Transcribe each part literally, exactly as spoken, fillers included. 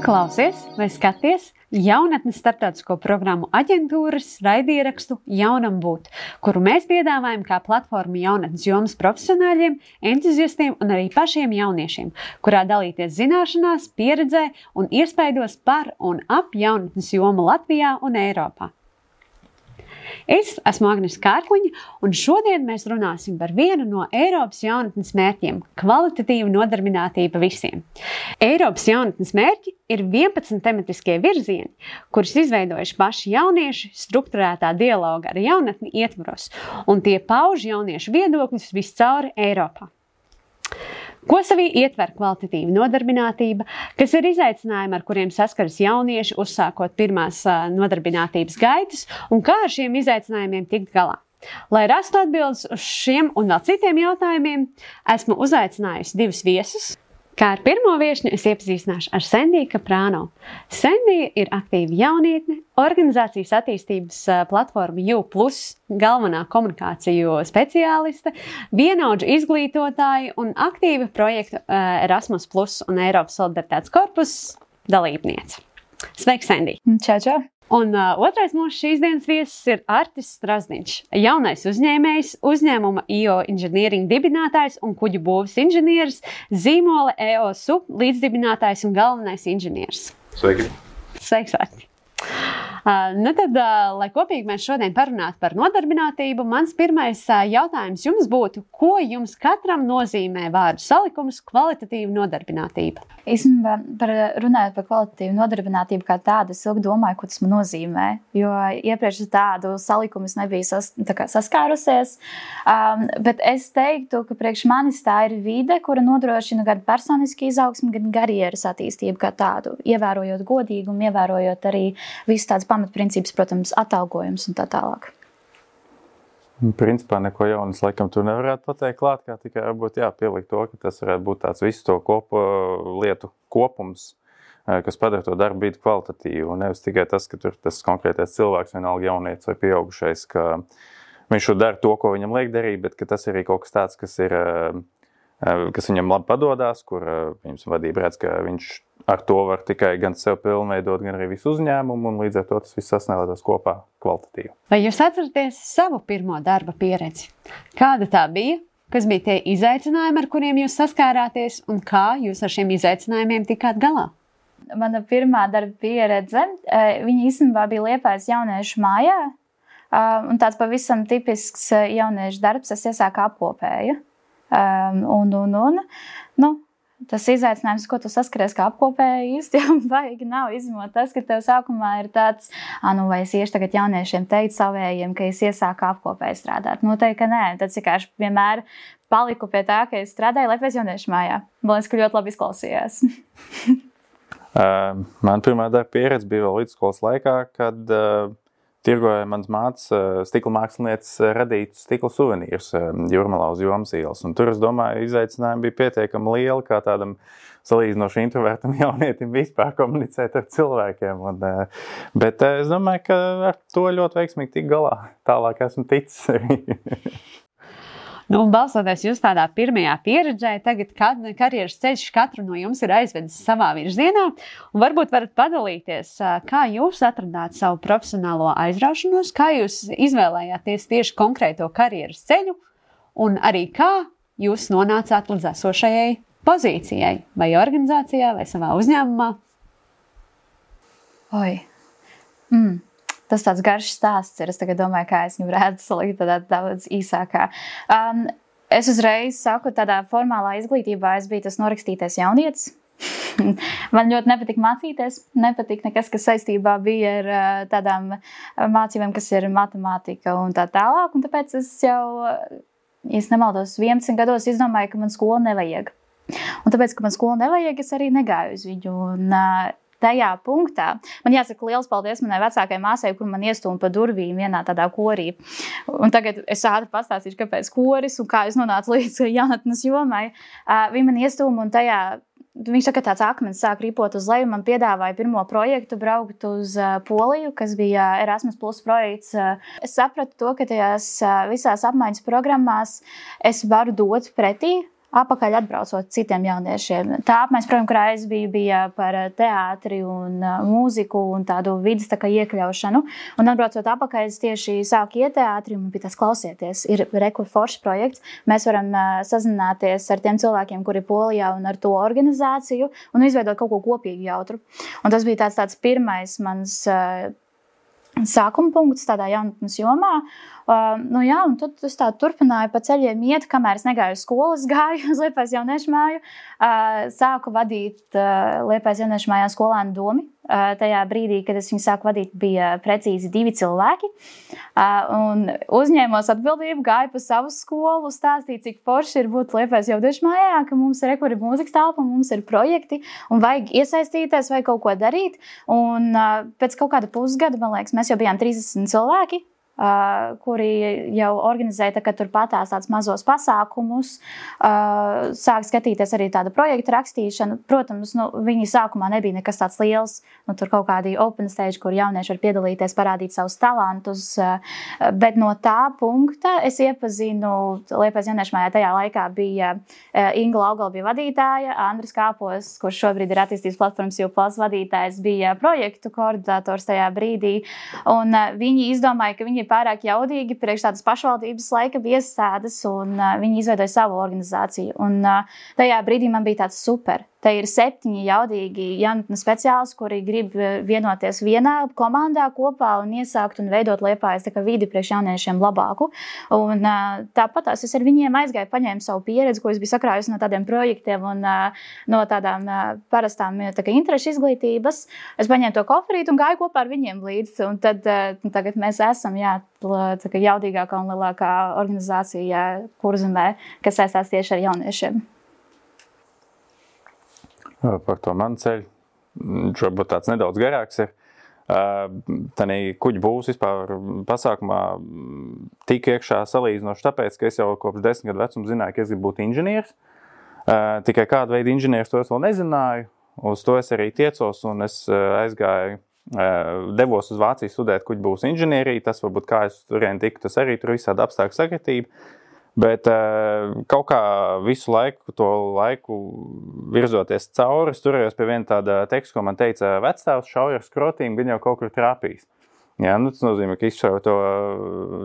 klausies vai skaties jaunatnes starptautisko programmu aģentūras raidierakstu Jaunam būt, kuru mēs piedāvājam kā platformu jaunatnes jomas profesionāļiem, entuziastiem un arī pašiem jauniešiem, kurā dalīties zināšanās, pieredzē un iespaidos par un ap jaunatnes jomu Latvijā un Eiropā. Es esmu Agnese Kārkliņa, un šodien mēs runāsim par vienu no Eiropas jaunatnes mērķiem – kvalitatīva nodarbinātība visiem. Eiropas jaunatnes mērķi ir vienpadsmit tematiskie virzieni, kurus izveidojuši paši jaunieši strukturētā dialoga ar jaunatni ietvaros, un tie pauž jauniešu viedokļus viscauri Eiropā. Ko sevī ietver kvalitatīva nodarbinātība, kas ir izaicinājumi, ar kuriem saskaras jaunieši, uzsākot pirmās nodarbinātības gaitas, un kā ar šiem izaicinājumiem tikt galā? Lai rastu atbildes uz šiem un vēl citiem jautājumiem, esmu uzaicinājusi divus viesus. Kā ar pirmo viešņu es iepazīstināšu ar Sendiju Kaprāno. Sendija ir aktīva jaunietne, organizācijas attīstības platforma U plus, galvenā komunikāciju speciāliste, vienaudžu izglītotāja un aktīva projektu Erasmus plus un Eiropas solidaritātes korpus dalībniece. Sveiki, Sendija! Čau, čau! Un uh, otrais mūsu šīs dienas viesis ir Artis Strazdiņš, jaunais uzņēmējs, uzņēmuma I O Engineering dibinātājs un kuģu būves inženieris, zīmola E O S U līdzdibinātājs un galvenais inženieris. Sveiki! Sveiks, Arti! Uh, nu tad, uh, lai kopīgi mēs šodien parunātu par nodarbinātību, mans pirmais uh, jautājums jums būtu, ko jums katram nozīmē vārdu salikums kvalitatīva nodarbinātība? Īstenībā, par, runājot par kvalitatīvu nodarbinātību kā tādu, es ilgi domāju, ko tas man nozīmē, jo iepriekš tādu salikumu es nebiju sas, tā kā saskārusies, um, bet es teiktu, ka priekš manis tā ir vide, kura nodrošina gan personisku izaugsmi, gan karjeras attīstību kā tādu, ievērojot godīgumu, ievērojot arī visu tāds pamatprincips, protams, atalgojums un tā tālāk. Principā neko jaunas laikam tur nevarētu pateikt klāt, kā tikai varbūt jā, pielikt to, ka tas varētu būt tāds visu to kopu, lietu kopums, kas padara to darbu bītu kvalitatīvu. Un nevis tikai tas, ka tur tas konkrētais cilvēks, vienalga jaunietis vai pieaugušais, ka viņš dara to, ko viņam liek darīt, bet ka tas ir arī kaut kas tāds, kas ir, kas viņam labi padodās, kur viņam vadība redz, ka viņš ar to var tikai gan sev pilnveidot, gan arī visu uzņēmumu, un līdz ar to tas viss sasniegtos kopā kvalitatīvi. Vai jūs atceraties savu pirmo darba pieredzi? Kāda tā bija? Kas bija tie izaicinājumi, ar kuriem jūs saskārāties, un kā jūs ar šiem izaicinājumiem tikāt galā? Mana pirmā darba pieredze, viņa īstenībā bija Liepājas jauniešu mājā, un tāds pavisam tipisks jauniešu darbs, es iesāku apkopēju. Un, un, un, nu, tas izaicinājums, ko tu saskaries kā apkopēji, īsti jau baigi nav, izņemot tas, ka tev sākumā ir tāds, nu vai es iešu tagad jauniešiem teikt savējiem, ka es iesāku apkopēji strādāt. Noteikti, ka nē, tad vienkārši vienmēr paliku pie tā, ka es strādāju Liepājas jauniešu mājā. Man liekas, ka ļoti labi izklausījās. uh, man pirmā darba pieredze bija vēl vidusskolas laikā, kad uh, tirgoja mans mātes stikla mākslinieces radītus stikla suvenīrus Jūrmalā uz Jomas ielas. Un tur, es domāju, izaicinājumi bija pietiekami lieli, kā tādam salīdzinoši introvertam jaunietim vispār komunicēt ar cilvēkiem. Un, bet es domāju, ka ar to ļoti veiksmīgi tik galā. Tālāk esmu ticis arī. Nu, un balstoties jūs tādā pirmajā pieredzē, tagad karjeras ceļš katru no jums ir aizvedis savā virzienā, un varbūt varat padalīties, kā jūs atradāt savu profesionālo aizraušanos, kā jūs izvēlējāties tieši konkrēto karjeras ceļu, un arī kā jūs nonācāt līdz esošajai pozīcijai, vai organizācijā, vai savā uzņēmumā? Oi. Mm. Tas tāds garš stāsts ir. Es tagad domāju, kā es viņu varētu salikt tādā daudz īsākā. Um, es uzreiz saku, tādā formālā izglītībā es biju tas norakstītais jaunietis. Man ļoti nepatika mācīties, nepatika nekas, kas saistībā bija ar tādām mācībām, kas ir matemātika un tā tālāk. Un tāpēc es jau, ja es nemaldos, vienpadsmit gados izdomāju, ka man skolu nevajag. Un tāpēc, ka man skolu nevajag, es arī negāju uz viņu. Un, tajā punktā. Man jāsaka liels paldies manai vecākajai māsai, kur man iestūma pa durvīm vienā tādā korī. Un tagad es ātri pastāstīšu, kāpēc koris un kā es nonācu līdz jaunatnes jomai. Uh, viņa man iestūma un tajā, viņš saka, tāds akmens sāk ripot uz leju, man piedāvāja pirmo projektu braukt uz uh, Poliju, kas bija Erasmus plus projekts. Uh, es sapratu to, ka tajās uh, visās apmaiņas programmās es varu dot pretī apakaļ atbraucot citiem jauniešiem. Tā apmaiņas programma, kurā es biju, bija par teātri un uh, mūziku un tādu vidas tā kā iekļaušanu. Un atbraucot apakaļ, es tieši sāku iet teātri un bija tas klausieties. Ir rekur foršs projekts. Mēs varam uh, sazināties ar tiem cilvēkiem, kuri ir Polijā un ar to organizāciju un izveidot kaut ko kopīgi jautru. Un tas bija tāds, tāds pirmais mans uh, sākuma punkts tādā jaunatnes jomā. Uh, nu jā, un tad es tā turpināju pa ceļiem iet, kamēr es negāju uz skolu, es gāju uz Liepājas jauniešu māju. Uh, sāku vadīt uh, Liepājas jauniešu mājā skolēnu domi. Uh, tajā brīdī, kad es viņu sāku vadīt, bija precīzi divi cilvēki. Uh, un uzņēmos atbildību, gāju pa savu skolu, stāstīju, cik forši ir būt Liepājas jauniešu mājā, ka mums ir rekuri mūzikas telpa, mums ir projekti un vajag iesaistīties, vajag kaut ko darīt. Un uh, pēc kaut kāda pusgada, man liekas, mēs jau bijām trīsdesmit cilvēki. Uh, kuri jau organizēja tā, ka tur patās tāds mazos pasākumus, uh, sāk skatīties arī tāda projekta rakstīšana. Protams, nu, viņi sākumā nebija nekas tāds liels, nu, tur kaut kādi open stage, kur jaunieši var piedalīties, parādīt savus talantus, uh, bet no tā punkta es iepazinu, Liepājas jauniešu mājā tajā laikā bija uh, Inga Laugala bija vadītāja, Andris Kāpos, kurš šobrīd ir attīstības platformas U plus vadītājs, bija projektu koordinators tajā brīdī, un uh, viņi izdomāja, ka viņi pārāk jaudīgi priekš tādas pašvaldības laika iestādes, un uh, viņi izveidoja savu organizāciju. Un uh, tajā brīdī man bija tāds super. Te ir septiņi jaudīgi jaunatnes speciālisti, kuri grib vienoties vienā komandā kopā un iesākt un veidot Liepājas tā kā vidi priekš jauniešiem labāku. Un uh, tāpat es ar viņiem aizgāju, paņēmu savu pieredzi, ko es biju sakrājusi no tādiem projektiem un uh, no tādām uh, parastām tā kā interešu izglītības. Es paņēmu to koferīti un gāju kopā ar viņiem līdz. Un tad uh, tagad mēs esam, jā, tā kā jaudīgākā un lielākā organizācija Kurzemē, kas saistās tieši ar jauniešiem. Par to manu ceļu, varbūt tāds nedaudz garāks ir. Tanī kuģi būs vispār pasākumā tik iekšā salīdzinoši tāpēc, ka es jau kopš desmit gadu vecuma zināju, ka es gribu būt inženieris. Tikai kādu veidu inženieris to es vēl nezināju. Uz to es arī tiecos un es aizgāju, devos uz Vāciju studēt kuģi būs inženieriju. Tas varbūt kā es turien tiku, tas arī tur visādi apstākļu sakritība. Bet kaut kā visu laiku, to laiku virzoties cauri, es turējos pie viena tāda teksta, ko man teica vecstāvs, šauja ar skrotīm, gan jau kaut kur trāpīs. Jā, nu tas nozīmē, ka izšauja to,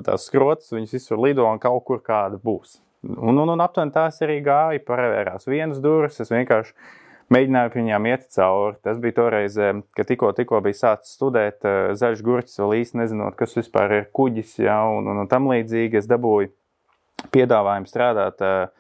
tās skrotas, viņas visur lido un kaut kur kāda būs. Un, un, un aptuveni tās arī gāja, parevērās vienas durvis, es vienkārši mēģināju pie viņām iet cauri. Tas bija toreiz, ka tikko, tikko bija sācis studēt zaļš gurķis, vēl īsti nezinot, kas vispār ir kuģis, jā, un, un, un tam līdzīgi es dabūju piedāvājumu strādāt uh,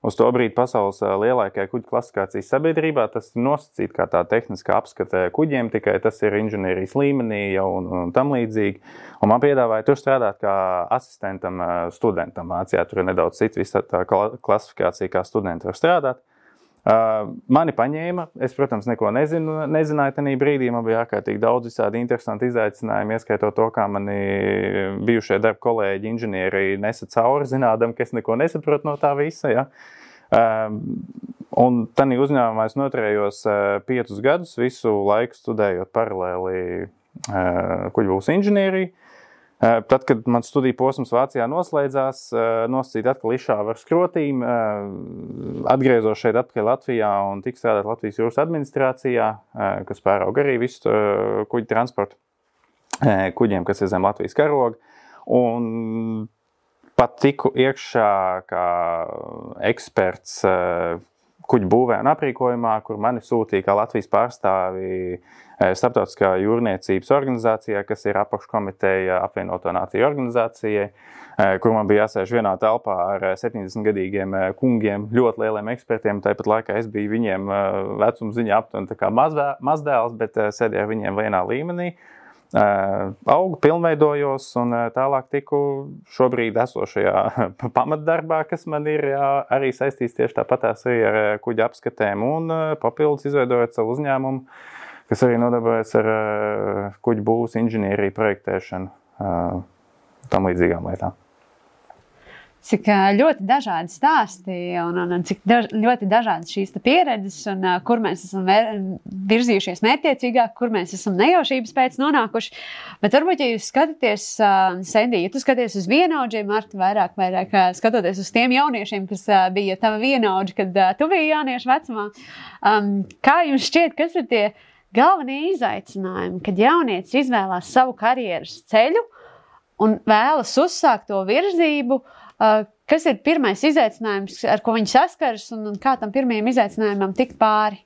uz to brīdi pasaules uh, lielākajā kuģu klasifikācijas sabiedrībā. Tas ir nosacīt kā tā tehniskā apskate kuģiem, tikai tas ir inženierijas līmenī jau un, un tam līdzīgi. Un man piedāvāja tur strādāt kā asistentam uh, studentam. Vācijā tur ir nedaudz cita visa tā klasifikācija, kā studenti var strādāt. Uh, mani paņēma, es, protams, neko nezinu, nezināju tajā brīdī, man bija ārkārtīgi daudz visādi interesanti izaicinājumi, ieskaitot to, kā mani bijušie darba kolēģi inženieri nesa cauri, zinādam, ka es neko nesaprotu no tā visa, ja. Uh, un tajā uzņēmumā es noturējos uh, piecus gadus, visu laiku studējot paralēli uh, kuģi būs inženieriju. Tad, kad man studiju posms Vācijā noslēdzās, nosacīt atkal izšāvu ar skrotīm, atgriezos šeit atpakaļ Latvijā un tik strādāt Latvijas jūras administrācijā, kas pārauga arī visu kuģi transportu kuģiem, kas ir zem Latvijas karoga. Un pat tiku iekšā kā eksperts kuģu būvē un aprīkojumā, kur mani sūtīja kā Latvijas pārstāvi Starptautiskā jūrniecības organizācijā, kas ir apakškomiteja apvienoto nāciju organizācijai, kur man bija jāsēž vienā telpā ar septiņdesmitgadīgiem kungiem, ļoti lieliem ekspertiem. Tāpat laikā es biju viņiem vecuma ziņā aptuveni tā kā mazdēls, bet sēdēju ar viņiem vienā līmenī. Augu, pilnveidojos un tālāk tiku šobrīd esošajā pamatdarbā, kas man ir jā, arī saistīts tieši tāpatās arī ar kuģa apskatēm un papildus izveidojot savu uzņēmumu, kas arī nodarbojas ar kuģu būvs inženieriju projektēšanu, tam līdzīgām lietām. cik ļoti dažādi stāsti un, un, un cik daž, ļoti dažādas šīs pieredzes un uh, kur mēs esam vēr, virzījušies mērķiecīgāk, kur mēs esam nejaušības pēc nonākuši. Bet varbūt, ja jūs skatāties, uh, Sendī, ja tu skaties uz vienaudžiem, Marta, vairāk, vairāk uh, skatoties uz tiem jauniešiem, kas uh, bija tava vienaudži, kad uh, tu biji jauniešu vecumā, um, kā jums šķiet, kas ir tie galvenie izaicinājumi, kad jaunietis izvēlās savu karjeras ceļu un vēlas uzsākt to virzību, uh, kas ir pirmais izaicinājums, ar ko viņi saskaras un, un kā tam pirmajam izaicinājumam tikt pāri?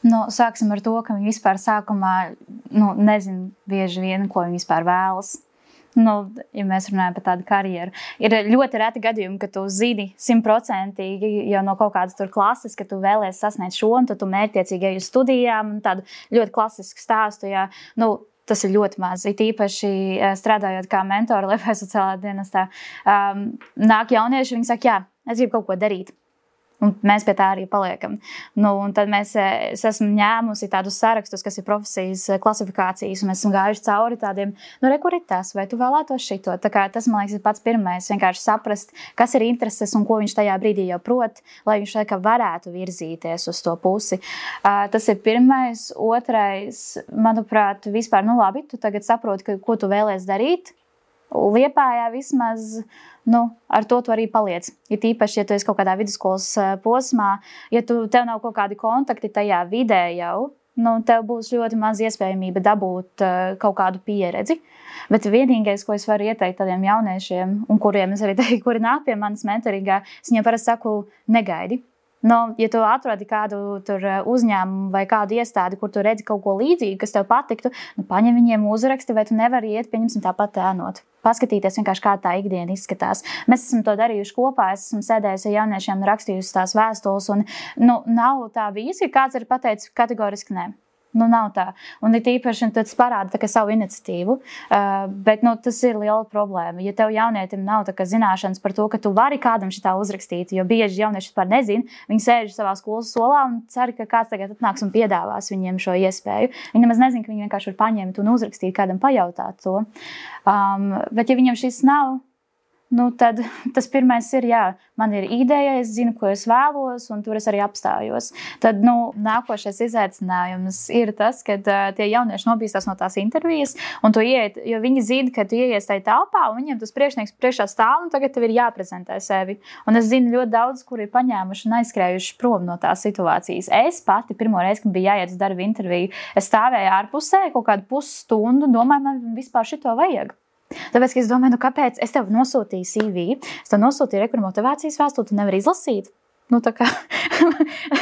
Nu, sāksim ar to, ka viņi vispār sākumā nu, nezin bieži vien, ko viņi vispār vēlas. Nu, ja mēs runājam par tādu karjeru. Ir ļoti reti gadījumi, ka tu zini simtprocentīgi jau no kaut kādas tur klases, ka tu vēlies sasniegt šo, un tad tu mērķtiecīgi ej uz studijām, un tādu ļoti klasisku stāstu, jā, nu, tas ir ļoti maz. It īpaši strādājot kā mentori Liepājas sociālā dienestā, um, nāk jaunieši, viņi saka, jā, es gribu kaut ko darīt. Un mēs pie tā arī paliekam. Nu, un tad mēs, es esmu ņēmusi tādus sarakstus, kas ir profesijas klasifikācijas, un mēs esam gājuši cauri tādiem, nu, re, kur ir tas, vai tu vēlētos šito. Tā kā tas, man liekas, ir pats pirmais, vienkārši saprast, kas ir intereses un ko viņš tajā brīdī jau prot, lai viņš tā kā varētu virzīties uz to pusi. Uh, tas ir pirmais. Otrais, manuprāt, vispār, nu labi, tu tagad saproti, ka, ko tu vēlies darīt. Liepājā vismaz, nu, ar to tu arī paliec. Ja tīpaši, ja tu esi kaut kādā vidusskolas posmā, ja tu, tev nav kaut kādi kontakti tajā vidē jau, nu, tev būs ļoti maz iespējamība dabūt uh, kaut kādu pieredzi. Bet vienīgais, ko es varu ieteikt tādiem jauniešiem, un kuriem es arī teiktu, kuri nāk pie manas mentoringā, es viņiem parasti saku, negaidi. Nu, ja tu atrodi kādu tur uzņēmumu vai kādu iestādi, kur tu redzi kaut ko līdzīgu, kas tev patiktu, nu, paņem viņiem uzraksti, vai tu nevari iet, pieņemsim tāpat ēnot. Paskatīties vienkārši, kā tā ikdiena izskatās. Mēs esam to darījuši kopā, es esmu sēdējusi ar jauniešiem un rakstījusi tās vēstules, un nu, nav tā bijis, ka kāds ir pateicis kategoriski nē. Nu, nav tā. Un ir īpaši, tas parāda tā kā savu iniciatīvu, uh, bet nu, tas ir liela problēma. Ja tev jaunietim nav tā kā zināšanas par to, ka tu vari kādam šitā uzrakstīt, jo bieži jaunieši par nezin, viņi sēž savā skolas solā un cer, ka kāds tagad atnāks un piedāvās viņiem šo iespēju. Viņi nemaz nezin, ka viņi vienkārši var paņemt un uzrakstīt kādam pajautāt to. Um, bet ja viņam šis nav, nu, tad tas pirmais ir, jā, man ir ideja, es zinu, ko es vēlos, un tur es arī apstājos. Tad, nu, nākošais izaicinājums ir tas, kad uh, tie jaunieši nobīstās no tās intervijas, un tu ieiet, jo viņi zina, ka tu ieies tajā telpā, un viņiem tas priekšnieks priekšā stāv, un tagad tev ir jāprezentē sevi. Un es zinu ļoti daudz, kuri ir paņēmuši un aizskrējuši prom no tās situācijas. Es pati pirmo reizi, kad bija jāiet uz darba interviju, es stāvēju ārpusē kaut kādu pusstundu, domāju, man vispār šito vajag. Tāpēc, ka es domāju, nu kāpēc es tev nosūtīju C V, es tev nosūtīju rekur motivācijas vēstuli, tu nevari izlasīt. Nu, tā kā,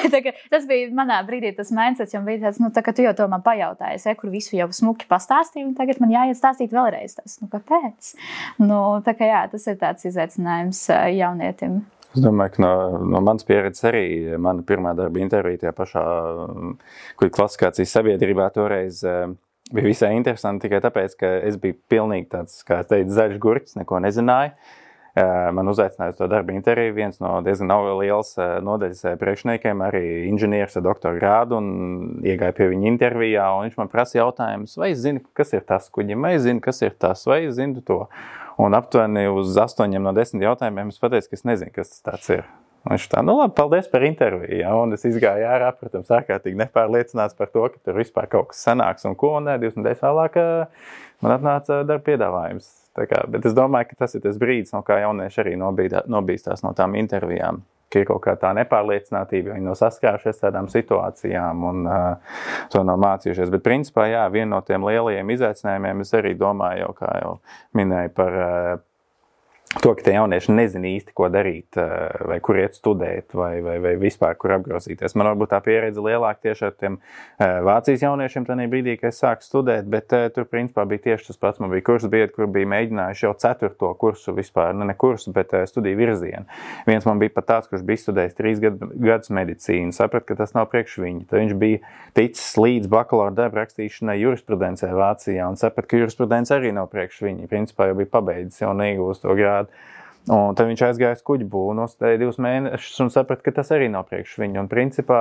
tā kā, tas bija manā brīdī tas mindsets, jo bija tāds, nu, tā kā tu jau to man pajautājies, kur visu jau smuki pastāstīju, un tagad man jāiet stāstīt vēlreiz tas. Nu, kāpēc? Nu, tā kā jā, tas ir tāds izaicinājums jaunietim. Es domāju, ka no, no manas pieredzes arī mana pirmā darba intervija tajā pašā, kur klasifikācijas sabiedrībā toreiz bija visai interesanti tikai tāpēc, ka es biju pilnīgi tāds, kā es teicu, zaļš gurķis, neko nezināju. Man uzaicināja uz to darba interviju viens no diezgan liels nodaļas priekšniekiem, arī inženieris ar doktora grādu, un iegāja pie viņa intervijā, un viņš man prasa jautājumus, vai es zinu, kas ir tas kuģim, vai es zinu, kas ir tas, vai es zinu to. Un aptuveni uz astoņiem no desmit jautājumiem es pateicu, ka es nezinu, kas tas tāds ir. Un viņš tā, nu labi, paldies par interviju, ja? Un es izgāju ārā, protams, ārkārtīgi nepārliecināts par to, ka tur vispār kaut kas sanāks un ko, un divas nedēļas vēlāk man atnāca darba piedāvājums. Tā kā, bet es domāju, ka tas ir tas brīdis, no kā jaunieši arī nobīdā, nobīstās no tām intervijām, ka ir kaut kā tā nepārliecinātība, jo viņi nav saskārušies tādām situācijām un uh, to nav mācījušies. Bet principā, jā, viena no tiem lielajiem izaicinājumiem es arī domāju, jau, kā jau minēju par uh, to, ka tie jaunieši nezina īsti, ko darīt, vai kur iet studēt, vai, vai, vai vispār, kur apgrozīties. Man varbūt tā pieredze lielāka tieši ar tiem Vācijas jauniešiem tajā brīdī, kad es sāku studēt, bet tur principā bija tieši tas pats. Man bija kursu biedri, kur bija mēģinājuši jau ceturto kursu vispār, ne, ne kursu, bet studiju virzienu. Viens man bija pat tāds, kurš bija studējis trīs gadu, gadus medicīnu, saprat, ka tas nav priekš viņa. Tad viņš bija ticis līdz bakalaura darba rakstīšanai jurisprudencē Vācijā un saprat, ka jurisprudence arī nav priekš viņa. Principā jau bija pabeidzis jau neigūst to grādu. Un tad viņš aizgāja uz kuģu būvu, nostādīja divus mēnešus un saprata, ka tas arī nav priekš viņu. Un principā,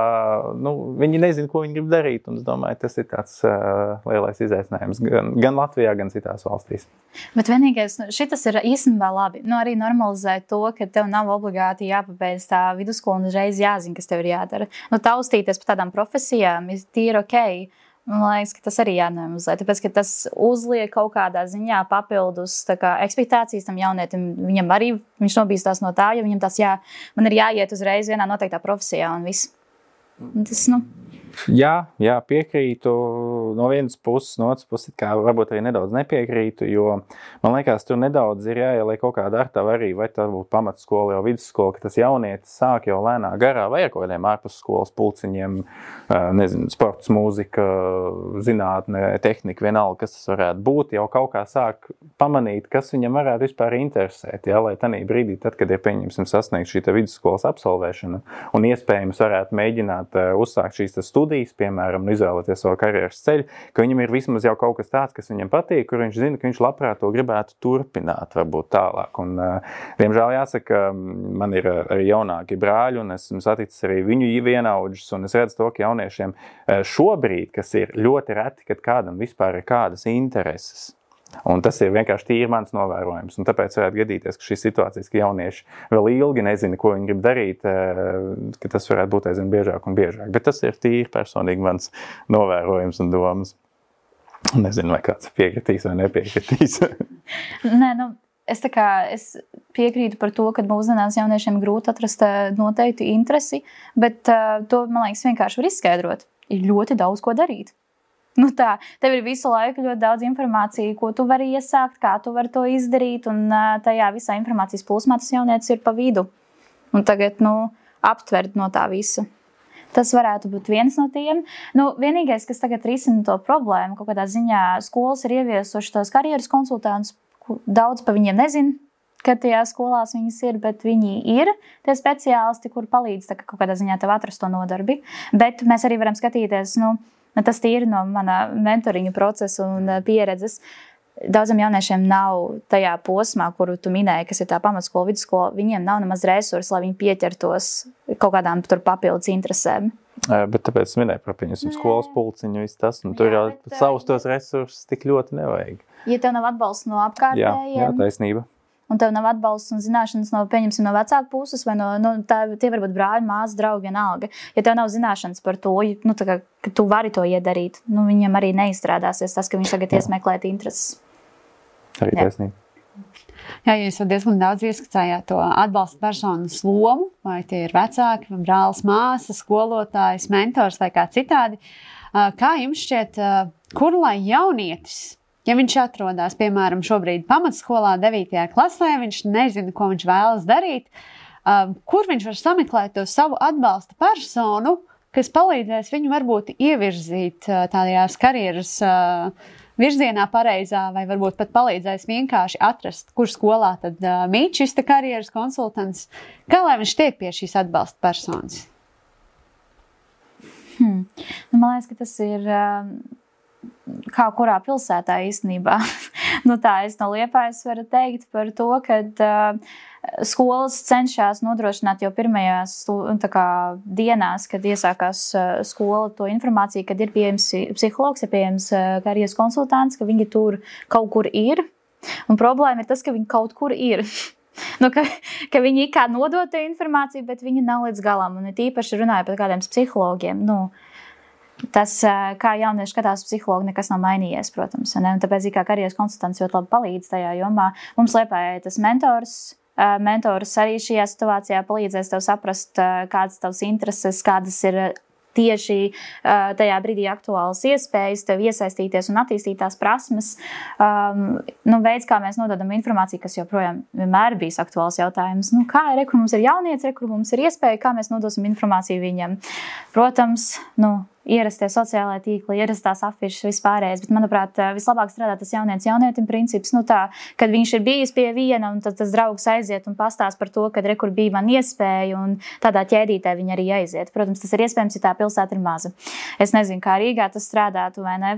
nu, viņi nezina, ko viņi grib darīt. Un es domāju, tas ir tāds uh, lielais izaicinājums gan, gan Latvijā, gan citās valstīs. Bet vienīgais, šitas ir īstenībā labi. Nu, arī normalizēt to, ka tev nav obligāti jāpabeidz tā vidusskola un uzreiz jāzina, kas tev ir jādara. Nu, taustīties par tādām profesijām ir tīri okei. Man liekas, ka tas arī jānormalizē, tāpēc, ka tas uzliek kaut kādā ziņā papildus tā kā ekspektācijas tam jaunietim. Viņam arī, viņš nobīstās no tā, jo viņam tas jā, man ir jāiet uzreiz vienā noteiktā profesijā un viss. Un tas, nu... Jā, jā, piekrītu no vienas puses, no otras puses, kā varbūt arī nedaudz nepiekrītu, jo man liekas, tur nedaudz ir jāieliek kaut kāda ar tavu arī, vai tā būtu pamatskola, jau vidusskola, ka tas jaunietis sāk jau lēnā garā, vai ar kaut kādiem ārpusskolas pulciņiem, nezinu, sports, mūzika, zinātne, tehnika, vienalga, kas tas varētu būt, jau kaut kā sāk pamanīt, kas viņam varētu vispār interesēt, jā, lai tanī brīdī, tad, kad ir pieņemsim sasniegt šī vidusskolas absolvēšana un iespējams varētu mēģināt uzsākt šīs tas studijas, piemēram, izvēlēties savu karjeras ceļu, ka viņam ir vismaz jau kaut kas tāds, kas viņam patīk, kur viņš zina, ka viņš labprāt to gribētu turpināt, varbūt tālāk. Un, diemžēl jāsaka, man ir arī jaunāki brāļi, un esmu saticis arī viņu vienaudžus, un es redzu to, ka jauniešiem šobrīd, kas ir ļoti reti, kad kādam vispār ir kādas intereses. Un tas ir vienkārši tīri mans novērojums. Un tāpēc varētu gadīties, ka šīs situācijas, ka jaunieši vēl ilgi nezina, ko viņi grib darīt, ka tas varētu būt aizvien biežāk un biežāk. Bet tas ir tīri personīgi mans novērojums un domas. Nezinu, vai kāds piekritīs vai nepiekritīs. Nē, nu, es tā kā es piekrītu par to, ka mūsdienās jauniešiem grūti atrast noteiktu interesi, bet uh, to, man liekas, vienkārši var izskaidrot. Ir ļoti daudz ko darīt. Nu tā, tev ir visu laiku ļoti daudz informācija, ko tu vari iesākt, kā tu vari to izdarīt, un tajā visā informācijas plūsmā tas jaunietis ir pa vidu. Un tagad, nu, aptvert no tā visa. Tas varētu būt viens no tiem. Nu, vienīgais, kas tagad risina to problēmu, kaut kādā ziņā skolas ir ieviesuši tos karjeras konsultantus, daudz pa viņiem nezin, ka tajā skolās viņas ir, bet viņi ir tie speciālisti, kur palīdz tā, kaut kādā ziņā tev atrast to nodarbi. Bet mēs arī varam skatīties, nu, tas tīri no mana mentoriņu procesa un pieredzes. Daudziem jauniešiem nav tajā posmā, kuru tu minēji, kas ir tā pamatskola, vidusskola, viņiem nav nemaz resursi, lai viņi pieķertos kaut kādām tur papildus interesēm. Bet tāpēc es minēju par pieņemsim skolas pulciņu, viss tas, un tur jau savus tos resursus tik ļoti nevajag. Ja tev nav atbalsts no apkārtējiem. Jā, jā, taisnība. Un tev nav atbalsts un zināšanas no, pieņemsim, no vecāku puses, vai no, no tā, tie var būt brāļi, māsas, draugi, vienalga. Ja tev nav zināšanas par to, nu, tā kā, ka tu vari to iedarīt, nu, viņam arī neizstrādāsies tas, ka viņš tagad iesmeklēt intereses. Arī taisnība. Jā, jūs diezgan daudz ieskicājāt to atbalsta personas lomu, vai tie ir vecāki, vai brālis, māsas, skolotājs, mentors vai kā citādi. Kā jums šķiet, kur lai jaunietis, ja viņš atrodas, piemēram, šobrīd pamatskolā devītajā klasē, viņš nezina, ko viņš vēlas darīt, kur viņš var sameklēt to savu atbalsta personu, kas palīdzēs viņu varbūt ievirzīt tādajās karjeras virzienā pareizā, vai varbūt pat palīdzēs vienkārši atrast, kur skolā tad mīt šis te karjeras konsultants. Kā lai viņš tiek pie šīs atbalsta personas? Hmm. Nu, man liekas, ka tas ir... kā kurā pilsētā īstenībā. Nu tā, es no Liepājas varu teikt par to, ka uh, skolas cenšas nodrošināt jau pirmajās tā kā, dienās, kad iesākās uh, skola, to informāciju, kad ir pieejams psihologs, ir pieejams uh, karjeras konsultants, ka viņi tur kaut kur ir. Un problēma ir tas, ka viņi kaut kur ir. Nu, ka, ka viņi kā nodot to informāciju, bet viņi nav līdz galam. Un it īpaši runāja par kādiem psihologiem. Nu, tas, kā jaunieši skatās psihologi, nekas nav mainījies, protams. Ne? Un tāpēc, kā karjeras konsultants ļoti labi palīdz tajā jomā. Mums Liepājai tas mentors, mentors arī šajā situācijā palīdzēs tev saprast, kādas tavas intereses, kādas ir tieši tajā brīdī aktuālas iespējas, tev iesaistīties un attīstīt tās prasmes. Um, nu, veids, kā mēs nododam informāciju, kas joprojām vienmēr bijis aktuāls jautājums. Nu, kā ir, kur mums ir jaunieci, kur mums ir iespēja, kā mēs nodosim informāciju viņam. Protams, nu, ierastie sociālai tīkli, ierastās afišas vispārējais, bet, manuprāt, vislabāk strādā tas jaunietis jaunietim princips, nu tā, kad viņš ir bijis pie viena un tad tas draugs aiziet un pastāst par to, kad rekur bija man iespēja un tādā ķēdītē viņi arī aiziet. Protams, tas ir iespējams, ja tā pilsēta ir maza. Es nezinu, kā Rīgā tas strādātu vai ne.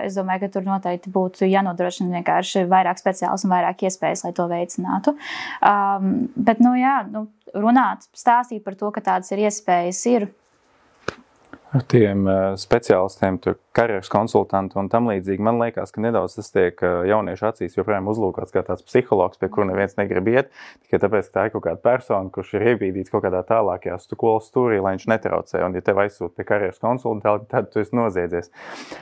Es domāju, ka tur noteikti būtu jānodrošina vienkārši vairāk speciāls un vairāk iespējas, lai to veicinātu. Um, bet, nu jā, nu, runāt, stāstīt par to, ka tādas ir iespējas ir. Ar tiem uh, speciālistiem, tur karjeras konsultanti un tam līdzīgi, man liekas, ka nedaudz tas tiek uh, jauniešu acīs joprojām uzlūkots kā tāds psihologs, pie kura neviens negrib iet, tikai tāpēc, ka tā ir kaut kāda persona, kurš ir iebīdīts kaut kādā tālākajā skolas stūrī, lai viņš netraucē, un ja tev aizsūt pie karjeras konsultanti, tad tu esi noziedzies.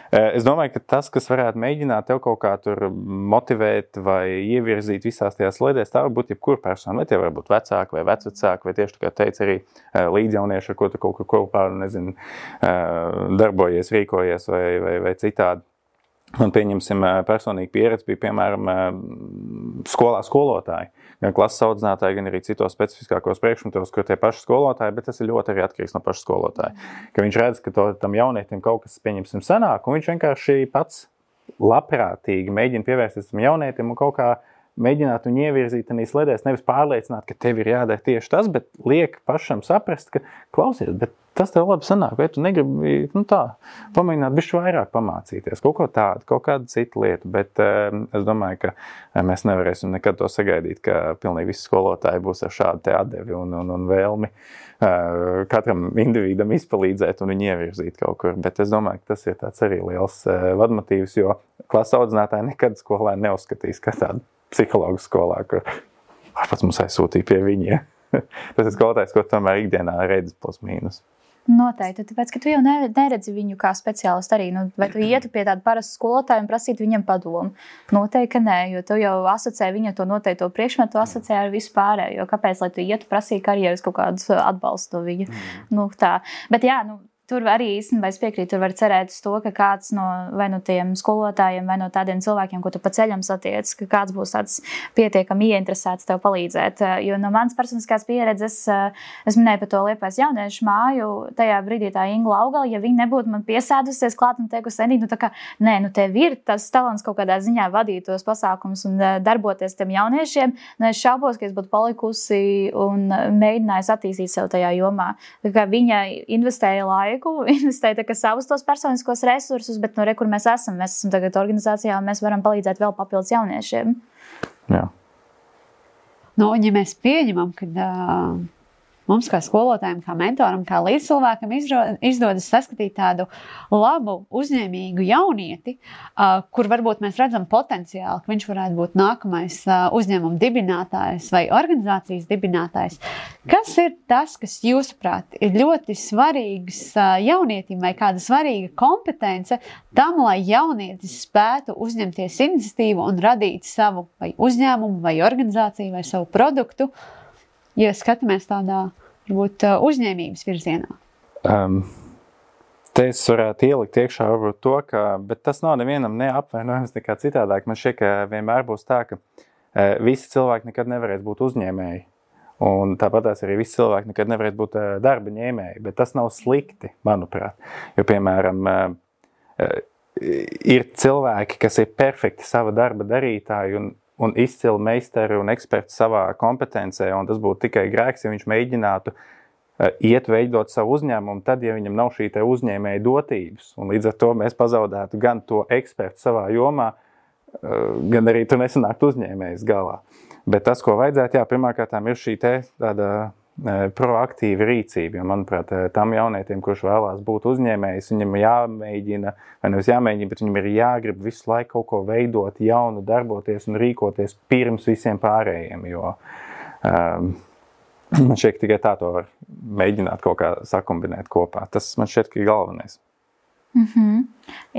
Uh, es domāju, ka tas, kas varētu mēģināt tev kaut kā tur motivēt vai ievirzīt visās tajās sliedēs, tā var būt jebkura persona, vai tie var būt vecāki vai vecvecāki, vai tieši, kā teica arī uh, līdzjaunieši, ar ko tu kaut kur kopā, nezinu, darbojies, rīkojies vai, vai, vai citādi. Un pieņemsim personīgi pieredzi bija, piemēram, skolā skolotāji. Gan klases audzinātāji, gan arī citos specifiskākos priekšmetos, kur tie paši skolotāji, bet tas ir ļoti arī atkarīgs no paša skolotāja. Ka viņš redz, ka to, tam jaunietim kaut kas, pieņemsim, sanāk, un viņš vienkārši pats labprātīgi mēģina pievērsties tam jaunietim un kaut kā mēģināt viņu ievirzīt un sledēs, nevis pārliecināt, ka tev ir jādara tieši tas, bet liek pašam saprast, ka klausies, bet tas tev labi sanāk, vai tu negribi, nu tā, pamēģināt bišķi vairāk pamācīties, kaut ko tādu, kaut kādu citu lietu, bet um, es domāju, ka mēs nevarēsim nekad to sagaidīt, ka pilnīgi visi skolotāji būs ar šādu te atdevi un, un, un vēlmi uh, katram individam izpalīdzēt un viņu ievirzīt kaut kur, bet es domāju, ka tas ir tāds arī liels uh, vadmotīvs, jo klases audzinātāji nekad skolā neuzskatīs, ka tādu psihologu skolā, kur pats mums aizsūtīja pie viņa. Tas ir skolotājs, ko tomēr ikdienā redzi plus mīnus. Noteikti, tāpēc, ka tu jau neredzi viņu kā speciālistu arī, nu, vai tu ietu pie tāda parasta skolotāja un prasītu viņam padomu? Noteikti, ka nē, jo tu jau asociē viņa to noteikto priekšmetu, asociē ar visu pārējo. Kāpēc, lai tu ietu prasīt karjeras kaut kādus atbalstu no viņa? Mm. Nu, tā. Bet jā, nu, tur arī īstenībā es piekrītu, tur var cerēt uz to, ka kāds no vai no tiem skolotājiem, vai no tādiem cilvēkiem, ko tu pa ceļam satiec, ka kāds būs tāds pietiekami ieinteresēts tev palīdzēt. Jo no manas personiskās pieredzes, es minēju par to Liepājas jauniešu māju, tajā brīdī tā Ingla Augala, ja viņa nebūtu man piesēdusies klāt un teikusi, Enī, nu tā kā, nē, nu tev ir tas talants kaut kādā ziņā vadīt tos pasākumus un darboties tiem jauniešiem, nu es šaubos, ka es būtu palikusi un mēģinājusi attīstīt sev tajā jomā. Tā kā viņa investēja laiku, investēt savus tos personiskos resursus, bet no re, kur mēs esam. Mēs esam tagad organizācijā un mēs varam palīdzēt vēl papildus jauniešiem. Jā. Nu, un ja mēs pieņemam, ka uh, mums kā skolotājiem, kā mentoram, kā līdzcilvēkam izdodas saskatīt tādu labu, uzņēmīgu jaunieti, uh, kur varbūt mēs redzam potenciāli, ka viņš varētu būt nākamais uh, uzņēmuma dibinātājs vai organizācijas dibinātājs. Kas ir tas, kas jūsuprāt ir ļoti svarīgs uh, jaunietim vai kāda svarīga kompetence tam, lai jaunietis spētu uzņemties iniciatīvu un radīt savu vai uzņēmumu vai organizāciju vai savu produktu, ja skatāmies tādā, varbūt, uzņēmības virzienā? Um, te es varētu ielikt iekšā varbūt to, ka, bet tas nav nevienam neapvainojums nekā citādāk. Man šķiet, ka vienmēr būs tā, ka uh, visi cilvēki nekad nevarēs būt uzņēmēji. Un tāpatās arī visi cilvēki nekad nevarēs būt uh, darba ņēmēji. Bet tas nav slikti, manuprāt. Jo, piemēram, uh, uh, ir cilvēki, kas ir perfekti sava darba darītāji un un izcili meistari un eksperti savā kompetencē, un tas būtu tikai grēks, ja viņš mēģinātu uh, iet veidot savu uzņēmumu, tad, ja viņam nav šī te uzņēmēja dotības, un līdz ar to mēs pazaudētu gan to ekspertu savā jomā, uh, gan arī tu nesanākt uzņēmējs galā. Bet tas, ko vajadzētu, jā, pirmkārtām ir šī te tāda uh, proaktīva rīcība, jo, manuprāt, tam jaunietim, kurš vēlās būt uzņēmējs, viņam jāmēģina, vai nevis jāmēģina, bet viņam ir jāgrib visu laiku kaut ko veidot, jaunu, darboties un rīkoties pirms visiem pārējiem, jo um, man šķiet, tikai tā to var mēģināt kaut kā sakombinēt kopā. Tas man šķiet, ka ir galvenais. Mm-hmm.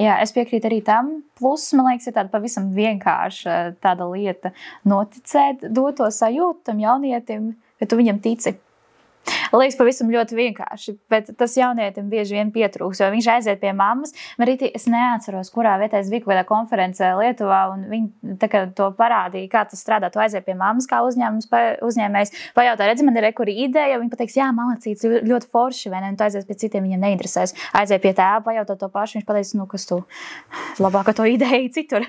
Jā, es piekrītu arī tam. Plus, man liekas, ir tāda pavisam vienkārša tāda lieta noticēt, dot to sajūtu tam jaunietim, ka tu viņam tici. Liekas pavisam ļoti vienkārši, bet tas jaunietim bieži vien pietrūks, jo viņš aiziet pie mammas. Marīti, es neatceros, kurā vietā es biju kādā konferencē Lietuvā, un viņi tā kā to parādīja, kā tas strādā. Tu aiziet pie mammas, kā uzņēmums, uzņēmējs, pajautā, redzi, man ir rekuri ideja, un viņi pateiks, jā, malacīts, ļoti forši, vai ne, un tu aizies pie citiem, viņiem neinteresēs. Aiziet pie tēva, pajautā to pašu, viņš pateiks, nu, kas tu labāk to ideju citur.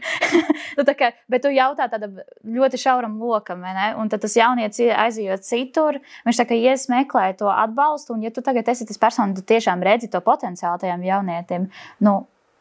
nu, tā kā, bet tu jautā tāda ļoti šauram lokam, vai ne, un tad tas jaunietis aizejot citur, viņš tā kā ies meklē to atbalstu, un ja tu tagad esi tas persona, tu tiešām redzi to potenciālu tajam jaunietim, nu,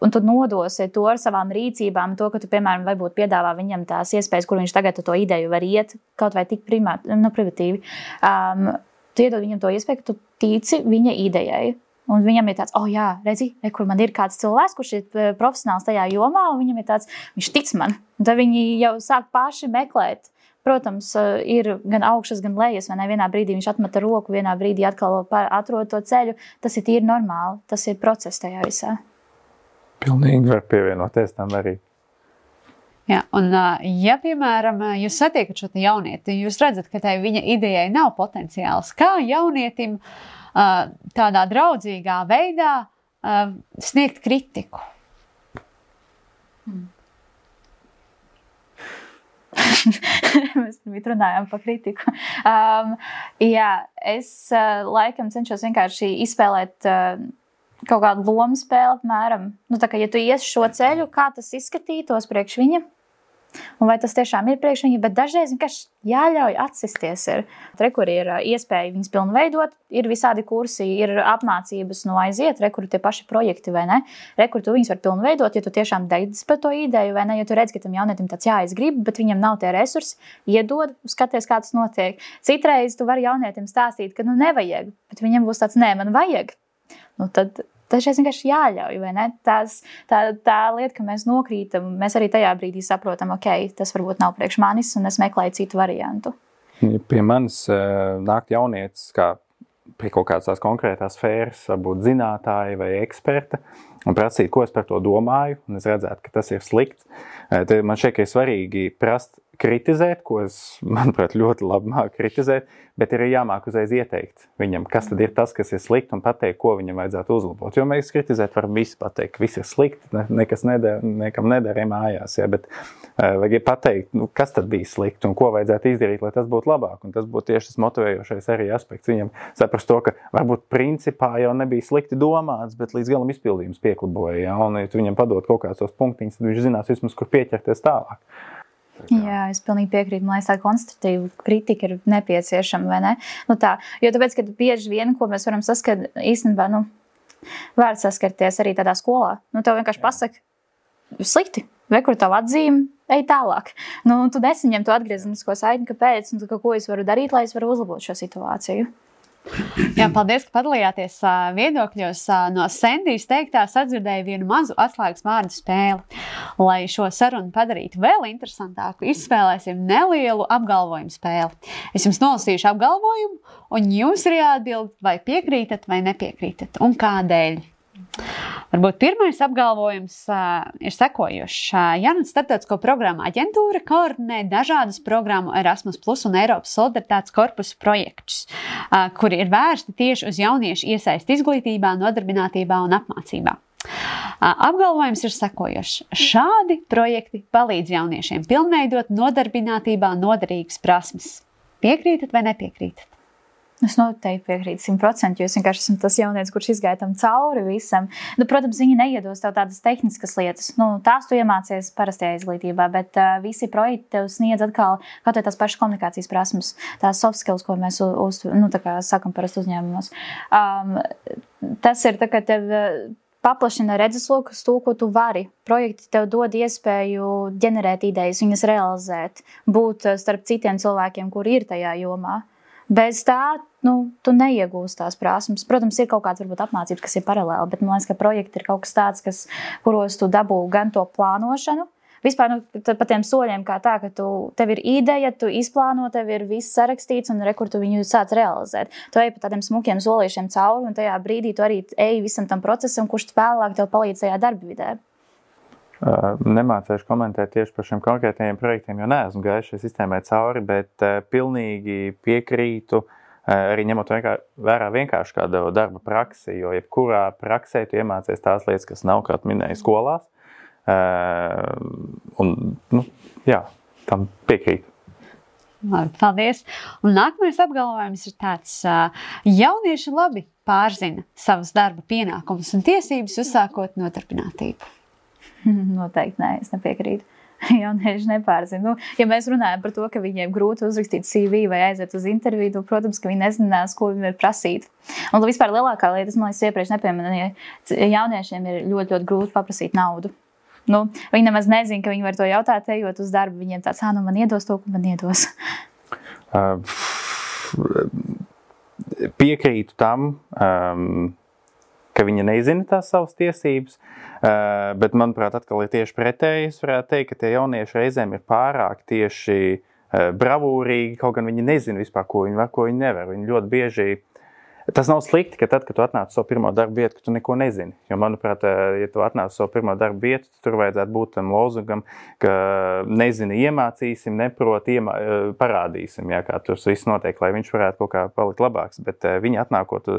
un tu nodosi to ar savām rīcībām, to, ka tu, piemēram, varbūt piedāvā viņam tās iespējas, kur viņš tagad to ideju var iet, kaut vai tik primāt, nu, privatīvi. Um, tu iedod viņam to iespēju, ka tu tici viņa idejai. Un viņam ir tāds, oh jā, redzi, kur man ir kāds cilvēks, kurš ir profesionāls tajā jomā, un viņam ir tāds, viņš tic man. Un tad viņi jau sāk paši meklēt. Protams, ir gan augšas, gan lejas, vai ne? Vienā brīdī viņš atmeta roku, vienā brīdī atkal atrod to ceļu. Tas ir tīri normāli, tas ir process tajā visā. Pilnīgi var pievienoties tam arī. Jā, un ja, piemēram, jūs satiekat šo jaunieti, jūs redzat, ka tai viņa idejai nav potenciāls, kā jaunietim tādā draudzīgā veidā sniegt kritiku? Hmm. Mēs runājām par kritiku. Um, jā, es uh, laikam cenšos vienkārši izspēlēt uh, kaut kādu lomu spēli apmēram. Nu, tā kā, ja tu ies šo ceļu, kā tas izskatītos priekš viņa, un vai tas tiešām ir priekš viņa, bet dažreiz vienkārši jāļauj atsisties ir. Re, kur ir iespēja viņas pilnveidot, ir visādi kursi, ir apmācības no aiziet, re, kur tie paši projekti, vai ne? Re, kur tu viņas var pilnveidot, ja tu tiešām dedz par to ideju, vai ne? Ja tu redz, ka tam jaunietim tāds jā, es gribu, bet viņam nav tie resursi, iedod, skaties, kā tas notiek. Citreiz tu vari jaunietim stāstīt, ka nu nevajag, bet viņam būs tāds, nē, man vajag. Nu, tad dažreiz vienkārši jāļauj, vai ne? Tās, tā, tā lieta, ka mēs nokrītam, mēs arī tajā brīdī saprotam, ok, tas varbūt nav priekš manis, un es meklēju citu variantu. Pie manis nāk jaunietis, kā pie kaut kādas tās konkrētās sfēras, varbūt zinātāja vai eksperta, un prasīt, ko es par to domāju, un es redzētu, ka tas ir slikts. Te man šeit, ka ir svarīgi prast kritizēt, ko es, manuprāt, ļoti labi māku kritizēt, bet ir jāmāk uzreiz ieteikt viņam, kas tad ir tas, kas ir slikti, un pateikt, ko viņam vajadzētu uzlabot. Jo mēs kritizēt varam visu pateikt, viss ir slikti, ne, nekas nedara, nekam nedara mājās, ja, bet uh, vajag pateikt, nu, kas tad bija slikti un ko vajadzētu izdarīt, lai tas būtu labāk. Un tas būtu tieši tas motivējošais arī aspekts viņam saprast to, ka varbūt principā jau nebija slikti domāts, bet līdz galam izpildījums piekliboja, ja, un ja tu viņam padod kaut kāds tos punktiņus, tad viņš zinās vismaz, kur pieķerties tālāk. Jā, es pilnīgi piekrītu. Man liekas, tā konstruktīva kritika ir nepieciešama, vai ne? Nu tā, jo tāpēc, ka bieži vien, ko mēs varam saskart, īstenībā, nu, var saskarties arī tādā skolā. Nu, tev vienkārši pasaka, slikti, vai kur tavu atzīmi, ej tālāk. Nu, tu nesaņem to atgriezenisko saiti, kāpēc, un ka, ko es varu darīt, lai es varu uzlabot šo situāciju. Jā, paldies, ka padalījāties viedokļos. No Sendijas teiktās atdzirdēju vienu mazu atslēgas vārdu spēli. Lai šo sarunu padarītu vēl interesantāku, izspēlēsim nelielu apgalvojumu spēli. Es jums nolasīšu apgalvojumu, un jums ir jāatbild, vai piekrītat vai nepiekrītat, un kādēļ. Varbūt pirmais apgalvojums uh, ir sekojošs. Uh, Jaunatnes starptautisko programmu aģentūra koordinē dažādus programmu Erasmus Plus un Eiropas solidaritātes korpusu projektus, uh, kuri ir vērsti tieši uz jauniešu iesaisti izglītībā, nodarbinātībā un apmācībā. Uh, apgalvojums ir sekojošs. Šādi projekti palīdz jauniešiem pilnveidot nodarbinātībā noderīgas prasmes. Piekrītat vai nepiekrītat? Es noteikti piekrītu simt procenti, jo es vienkārši esmu tas jaunietis, kurš izgāja tam cauri visam. Nu, protams, viņi neiedos tev tādas tehniskas lietas. Nu, tās tu iemācies parastajā izglītībā, bet uh, visi projekti tev sniedz atkal kaut vai tās pašas komunikācijas prasmes, tās soft skills, ko mēs uz, nu, tā kā sakam parasti uzņēmumos. Um, tas ir tā, ka tev paplašina redzesloku uz to, ko tu vari. Projekti tev dod iespēju ģenerēt idejas, viņas realizēt, būt starp citiem cilvēkiem, kuri ir tajā jomā. Bez tā, nu, tu neiegūsi tās prasmes. Protams, ir kaut kāds varbūt apmācības, kas ir paralēli, bet man liekas, ka projekti ir kaut kas tāds, kas, kuros tu dabū gan to plānošanu, vispār nu, pa tiem soļiem kā tā, ka tu, tev ir ideja, tu izplāno, tev ir viss sarakstīts un re, kur tu viņu sāc realizēt. Tu ej pa tādiem smukiem solīšiem cauri un tajā brīdī tu arī ej visam tam procesam, kurš vēlāk tev palīdz tajā darbvidē. Uh, nemācēšu komentēt tieši par šiem konkrētajiem projektiem, jo neesmu gājis šai sistēmai cauri, bet uh, pilnīgi piekrītu, arī ņemot vērā vienkārši kādu darba praksi, jo jebkurā praksē tu iemācies tās lietas, kas nav, kā tu minēji, skolās. Un, nu, jā, tam piekrīt. Labi, paldies. Un nākamais apgalvojums ir tāds, jaunieši labi pārzina savas darba pienākumus un tiesības, uzsākot nodarbinātību. Noteikti nē, es nepiekrītu. Jaunieši nepārzina. Nu, ja mēs runājam par to, ka viņiem grūti uzrakstīt C V vai aiziet uz interviju, nu, protams, ka viņi nezinās, ko viņi var prasīt. Un vispār lielākā lieta, es man liekas iepriekš nepieminēju, jauniešiem ir ļoti, ļoti grūti paprasīt naudu. Nu, viņi nemaz nezina, ka viņi var to jautāt, ejot uz darbu. Viņiem tāds, ā, nu man iedos to, ko man iedos. Uh, piekrītu tam, um, ka viņa nezina tās savas tiesības, uh, bet, manuprāt, atkal ir tieši pretēji. Es varētu teikt, ka tie jaunieši reizēm ir pārāk tieši uh, bravūrīgi, kaut gan viņi nezina vispār, ko viņi var, ko viņi nevar. Viņi ļoti bieži... Tas nav slikti, ka tad, kad tu atnāc savu pirmo darbu vietu, ka tu neko nezini. Jo, manuprāt, ja tu atnāc savu pirmo darbu vietu, tur vajadzētu būt tam lozungam, ka nezini, iemācīsim, neprot, iemā, parādīsim, jā, kā tur viss notiek, lai viņš varētu kaut kā palikt labāks. Bet viņi atnākot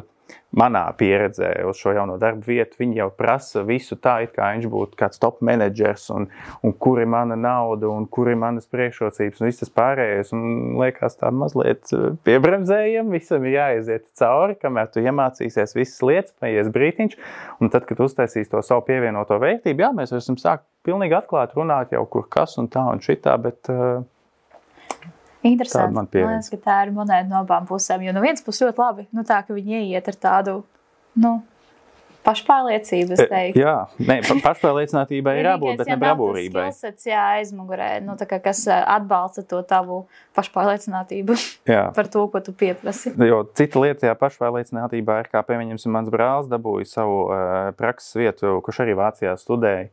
manā pieredzē uz šo jauno darbu vietu, viņi jau prasa visu tā, it kā viņš būtu kāds top menedžers un, un kur ir mana nauda un kur ir manas priekšrocības un viss tas pārējais. Un liekas tā mazliet piebremzējam, visam ir jāaiziet cauri, kamēr tu iemācīsies visas lietas, paies brītiņš, un tad, kad uztaisīs to savu pievienoto vērtību, jā, mēs varam sākt pilnīgi atklāt runāt jau kur kas un tā un šitā, bet... Uh, Interesanti. Man liekas, ka tā ir monēta no abām pusēm, jo no vienas puses ļoti labi, nu tā, ka viņi ieiet ar tādu, nu, pašpārliecību, es teiktu. Jā, ne, pašpārliecinātībai ir jābūt, bet ne bravūrībai. Skillsets, jā, aizmugurē, nu tā kā kas atbalsta to tavu pašpārliecinātību par to, ko tu pieprasi. Jo cita lieta, jā, pašpārliecinātībā ir, kā pieņemsim, mans brālis dabūja savu uh, prakses vietu, kurš arī Vācijā studēja.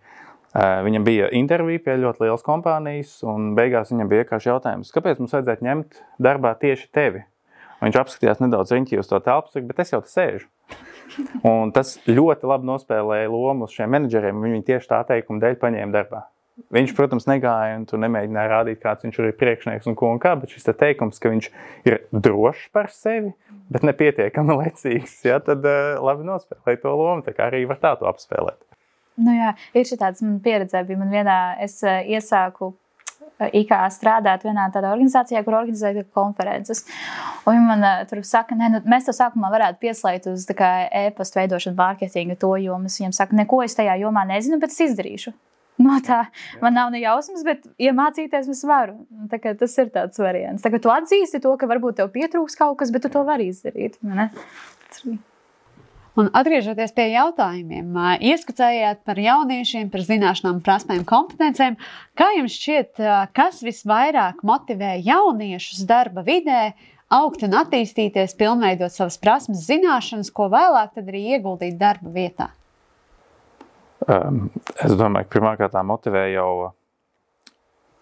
Uh, viņam bija intervija pie ļoti lielas kompānijas, un beigās viņam bija vienkārši jautājums, kāpēc mums vajadzētu ņemt darbā tieši tevi? Un viņš apskatījās nedaudz riņķī uz to telpu, bet es jau te sēžu. Un tas ļoti labi nospēlēja lomu uz šiem menedžeriem, un viņi tieši tā teikuma dēļ paņēma darbā. Viņš, protams, negāja un tur nemēģināja rādīt, kāds viņš ir priekšnieks un ko un kā, bet šis te teikums, ka viņš ir drošs par sevi, bet nepietiekami lecīgs, ja, tad uh, labi nospēlēja to lomu, tā kā arī var tā to apspēlēt. Nu jā, ir šī tāds man pieredzē, bija man vienā, es uh, iesāku I K strādāt vienā tādā organizācijā, kur organizēja konferences. Un viņi man uh, tur saka, ne, nu, mēs to sākumā varētu pieslēgt uz tā kā e-pastu veidošanu, mārketingu, to jomu. Viņiem saka, neko es tajā jomā nezinu, bet es izdarīšu. No tā, man nav ne jausmas, bet iemācīties es varu. Tā kā tas ir tāds variants. Tā kā tu atzīsti to, ka varbūt tev pietrūks kaut kas, bet tu to vari izdarīt. Ne? Un atgriežoties pie jautājumiem, ieskicējāt par jauniešiem, par zināšanām, prasmēm, kompetencēm. Kā jums šķiet, kas visvairāk motivē jauniešus darba vidē augt un attīstīties, pilnveidot savas prasmes, zināšanas, ko vēlāk tad arī ieguldīt darba vietā? Um, es domāju, ka pirmkārt tā motivē jau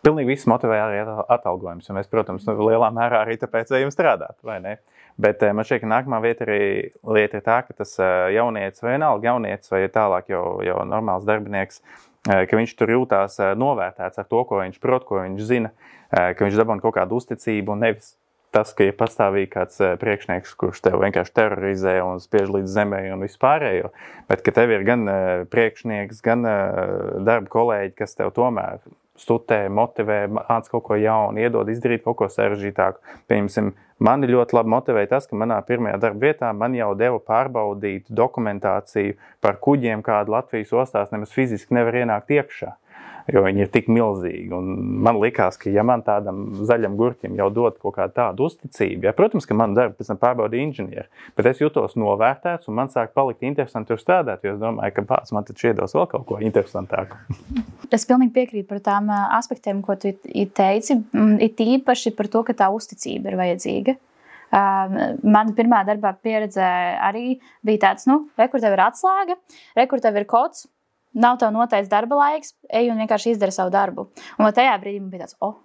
pilnīgi viss motivē arī atalgojums, jo mēs, protams, lielā mērā arī tāpēc ejam strādāt, vai ne? Bet man šķiet, ka nākamā vieta arī lieta ir tā, ka tas jaunietis vai vienalga jaunietis vai tālāk jau, jau normāls darbinieks, ka viņš tur jūtās novērtēts ar to, ko viņš prot, ko viņš zina, ka viņš dabūna kaut kādu uzticību un nevis tas, ka ir pastāvīgi kāds priekšnieks, kurš tev vienkārši terorizē un spiež līdz zemē un vispārējo, bet ka tev ir gan priekšnieks, gan darba kolēģi, kas tev tomēr studē, motivē, māc kaut ko jaunu, iedod izdarīt kaut ko sarežģītāku. Pieņemsim, mani ļoti labi motivēja tas, ka manā pirmajā darba vietā man jau deva pārbaudīt dokumentāciju par kuģiem, kādu Latvijas ostās nemaz fiziski nevar ienākt iekšā, jo viņi ir tik milzīgi. Un man likās, ka ja man tādam zaļam gurķim jau dod kaut kādu tādu uzticību, ja, protams, ka man darbu pēc tam pārbaudīja inženieri, bet es jutos novērtēts un man sāk palikt interesanti tur strādāt, jo es domāju, ka pats man taču iedos vēl kaut ko interesantāku. Es pilnīgi piekrītu par tām aspektiem, ko tu teici, it īpaši par to, ka tā uzticība ir vajadzīga. Mana pirmā darbā pieredze arī bija tāds, nu, re, kur tev ir atslēga, re, kur tev ir kods, nav tev noteikts darba laiks, ej un vienkārši izdara savu darbu. Un tajā brīdī man bija tāds, o,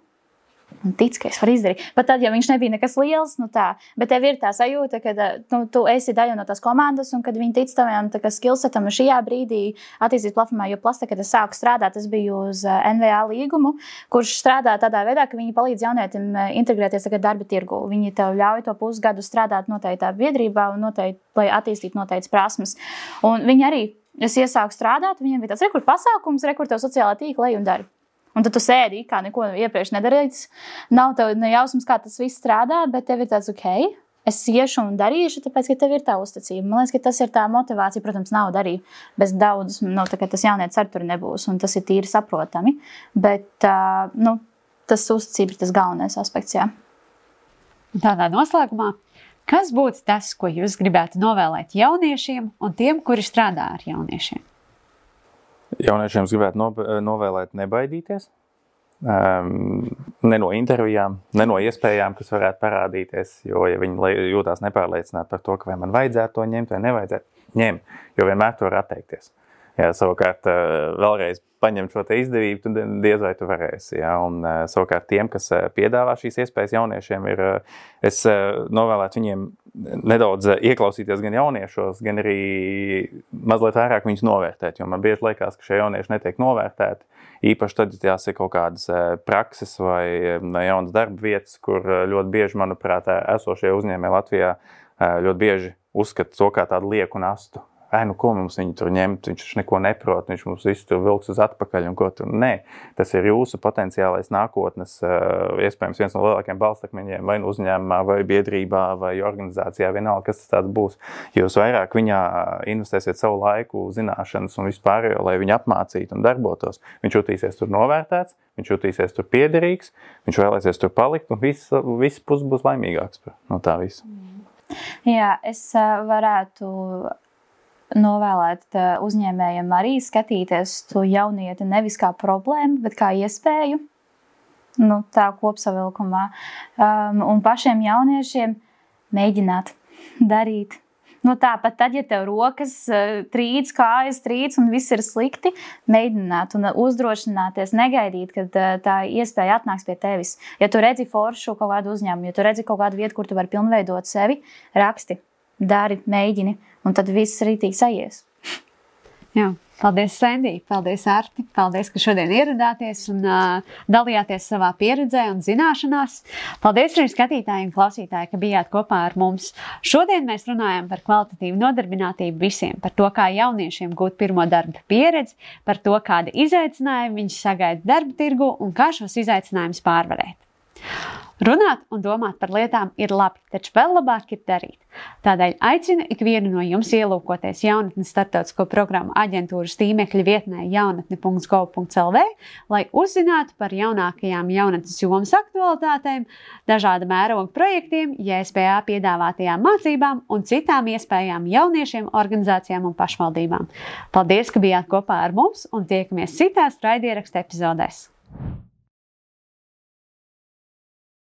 un tic, ka es varu izdarīt. Pat tad, ja viņš nebija nekas liels, nu tā, bet tev ir tā sajūta, ka nu, tu esi daļa no tās komandas, un kad viņi tic taviem skillsetam šajā brīdī attīstības platformā, jo Plasta, kad es sāku strādāt, es biju uz N V A līgumu, kurš strādā tādā veidā, ka viņi palīdz jaunietim integrēties tagad darba tirgu. Viņi tev ļauj to pusgadu strādāt noteiktā biedrībā un noteikti, lai attīstītu noteiktas prasmes. Un viņi arī, es iesāku strādāt, viņiem bija tāds rekur pasākums, rekur tev sociālā tīkla lej un dari. Un tad tu sēdi, kā neko iepriekš nedarīts. Nav tev nejausmas, kā tas viss strādā, bet tev ir tāds, ok, es iešu un darīšu, tāpēc, ka tev ir tā uzticība. Man liekas, ka tas ir tā motivācija, protams, nav darīt bez daudz, nu, tā kā tas jaunietis ar tur nebūs, un tas ir tīri saprotami. Bet, uh, nu, tas uzticība ir tas galvenais aspekts, jā. Tādā noslēgumā, kas būtu tas, ko jūs gribētu novēlēt jauniešiem un tiem, kuri strādā ar jauniešiem? Jauniešiem gribētu no, novēlēt nebaidīties, um, ne no intervijām, ne no iespējām, kas varētu parādīties, jo, ja viņi jūtās nepārliecināti par to, ka vai man vajadzētu to ņemt vai nevajadzētu, ņem, jo vienmēr to var atteikties. Ja savukārt vēlreiz paņemt šo te izdevību, tad diez vai tu varēsi. Ja? Un savukārt tiem, kas piedāvā šīs iespējas jauniešiem, ir, es novēlētu viņiem nedaudz ieklausīties gan jauniešos, gan arī mazliet vairāk viņus novērtēt, jo man bieži liekas, ka šie jaunieši netiek novērtēti, īpaši tad, ja tās ir kaut kādas prakses vai jaunas darba vietas, kur ļoti bieži, manuprāt, esošie uzņēmēji Latvijā ļoti bieži uzskata to kā tādu lieku nastu. Ai, nu ko mums viņu tur ņemt, viņš neko neprot, viņš mums visu tur vilks uz atpakaļ un ko tur. Nē, tas ir jūsu potenciālais nākotnes, iespējams viens no lielākiem balstakmeņiem vai uzņēmumā, vai biedrībā, vai organizācijā, vienalga, kas tas tāds būs. Jūs vairāk viņā investēsiet savu laiku, zināšanas un vispārējo, lai viņu apmācītu un darbotos. Viņš jutīsies tur novērtēts, viņš jutīsies tur piederīgs, viņš vēlēsies tur palikt un viss, viss pus būs laimīgāks no tā visa. Jā, es varētu novēlēt uzņēmējiem arī skatīties to jaunieti nevis kā problēmu, bet kā iespēju, nu, tā kopsavilkumā. Um, un pašiem jauniešiem mēģināt darīt. Nu, tāpat tad, ja tev rokas trīc, kājas trīc un viss ir slikti, mēģināt un uzdrošināties, negaidīt, kad tā iespēja atnāks pie tevis. Ja tu redzi foršu kaut kādu uzņēmumu, ja tu redzi kaut kādu vietu, kur tu vari pilnveidot sevi, raksti. Dari, mēģini, un tad viss rītīgi sajies. Jā, paldies, Sandī, paldies, Arti, paldies, ka šodien ieradāties un uh, dalījāties savā pieredzē un zināšanās. Paldies arī skatītāji un klausītāji, ka bijāt kopā ar mums. Šodien mēs runājam par kvalitatīvu nodarbinātību visiem, par to, kā jauniešiem gūt pirmo darba pieredzi, par to, kādi izaicinājumi viņi sagaida darba tirgu un kā šos izaicinājumus pārvarēt. Runāt un domāt par lietām ir labi, taču vēl labāk ir darīt. Tādēļ aicinu ikvienu no jums ielūkoties jaunatnes starptautisko programmu aģentūras tīmekļa vietnē jaunatne punkts gov punkts el vē, lai uzzinātu par jaunākajām jaunatnes jomas aktualitātēm, dažāda mēroga projektiem, J S P A piedāvātajām mācībām un citām iespējām jauniešiem, organizācijām un pašvaldībām. Paldies, ka bijāt kopā ar mums un tiekamies citās raidierakstu epizodēs.